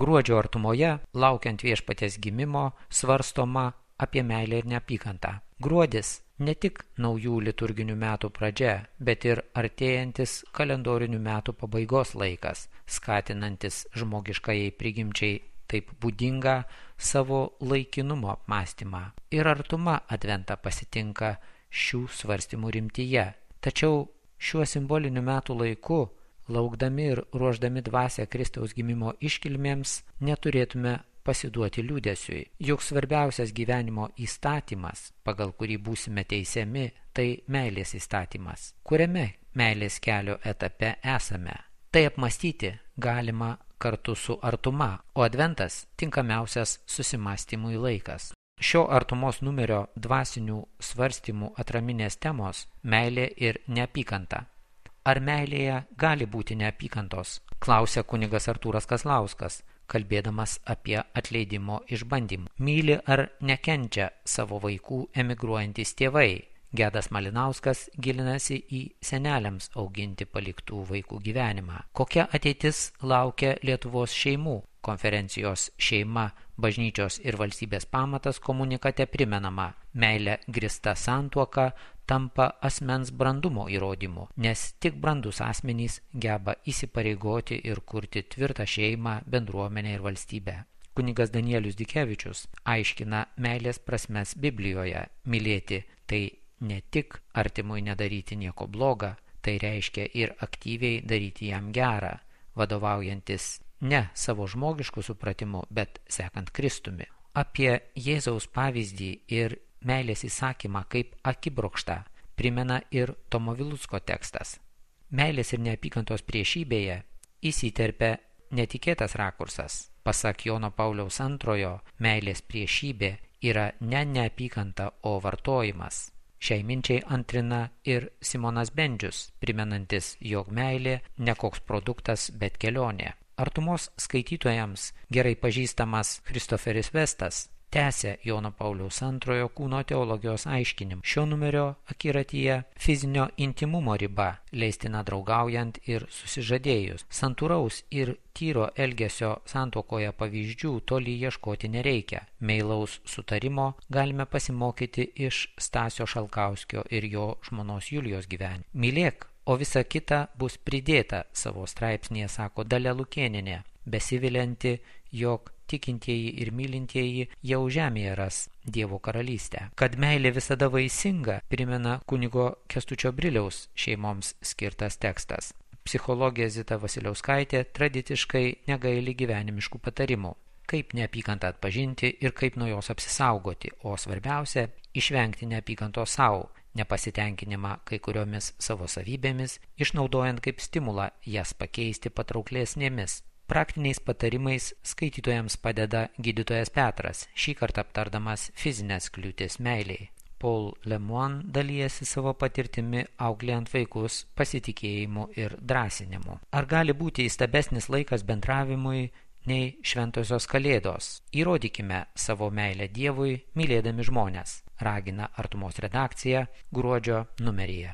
Gruodžio artumoje, laukiant viešpaties gimimo, svarstoma apie meilę ir neapykantą. Gruodis ne tik naujų liturginių metų pradžia, bet ir artėjantis kalendorinių metų pabaigos laikas, skatinantis žmogiškajai prigimčiai taip būdingą savo laikinumo apmąstymą. Ir artuma adventą pasitinka šių svarstymų rimtyje. Tačiau šiuo simboliniu metų laiku, laukdami ir ruošdami dvasią Kristaus gimimo iškilmėms, neturėtume pasiduoti liūdesiui. Juk svarbiausias gyvenimo įstatymas, pagal kurį būsime teisiami, tai meilės įstatymas. Kuriame meilės kelio etape esame? Tai apmąstyti galima kartu su artuma, o adventas tinkamiausias susimąstymui laikas. Šio artumos numerio dvasinių svarstymų atraminės temos – meilė ir neapykanta. Ar meilėje gali būti neapykantos? Klausia kunigas Artūras Kazlauskas, kalbėdamas apie atleidimo išbandymų. Myli ar nekenčia savo vaikų emigruojantys tėvai? Gedas Malinauskas gilinasi į seneliams auginti paliktų vaikų gyvenimą. Kokia ateitis laukia Lietuvos šeimų? Konferencijos Šeima, bažnyčios ir valstybės pamatas komunikate primenama, meilė grįsta santuoka tampa asmens brandumo įrodymu, nes tik brandus asmenys geba įsipareigoti ir kurti tvirtą šeimą, bendruomenę ir valstybę. Kunigas Danielius Dikevičius aiškina meilės prasmes Biblijoje. Mylėti tai ne tik artimui nedaryti nieko bloga, tai reiškia ir aktyviai daryti jam gerą, vadovaujantis ne savo žmogiškų supratimu, bet sekant Kristumi. Apie Jėzaus pavyzdį ir meilės įsakymą kaip akibrokštą primena ir Tomo Vilucko tekstas. Meilės ir neapykantos priešybėje įsiterpia netikėtas rakursas. Pasak Jono Pauliaus II, meilės priešybė yra ne neapykanta, o vartojimas. Šiai minčiai antrina ir Simonas Bendžius, primenantis, jog meilė ne koks produktas, bet kelionė. Artumos skaitytojams gerai pažįstamas Christopheris Vestas tęsia Jono Pauliaus II kūno teologijos aiškinimą. Šio numerio akiratyje fizinio intimumo riba, leistina draugaujant ir susižadėjus. Santūraus ir tyro elgesio santuokoje pavyzdžių toli ieškoti nereikia. Meilaus sutarimo galime pasimokyti iš Stasio Šalkauskio ir jo žmonos Julijos gyvenimo. Mylėk, o visa kita bus pridėta, savo straipsnėje sako Dalia Lukėnienė, besivilianti, jog tikintieji ir mylintieji jau žemėje ras Dievo karalystę. Kad meilė visada vaisinga, primena kunigo Kęstučio Briliaus šeimoms skirtas tekstas. Psichologė Zita Vasiliauskaitė tradiciškai negaili gyvenimiškų patarimų. Kaip neapykantą atpažinti ir kaip nuo jos apsisaugoti, o svarbiausia – išvengti neapykantos savo, nepasitenkinimą kai kuriomis savo savybėmis, išnaudojant kaip stimulą jas pakeisti patrauklesnėmis. Praktiniais patarimais skaitytojams padeda gydytojas Petras, šį kartą aptardamas fizinės kliūtis meiliai. Paul Lemoine dalijasi savo patirtimi auklėjant vaikus pasitikėjimu ir drąsinimu. Ar gali būti įstabesnis laikas bendravimui nei šventosios kalėdos? Įrodykime savo meilę Dievui, mylėdami žmones, ragina Artumos redakcija gruodžio numeryje.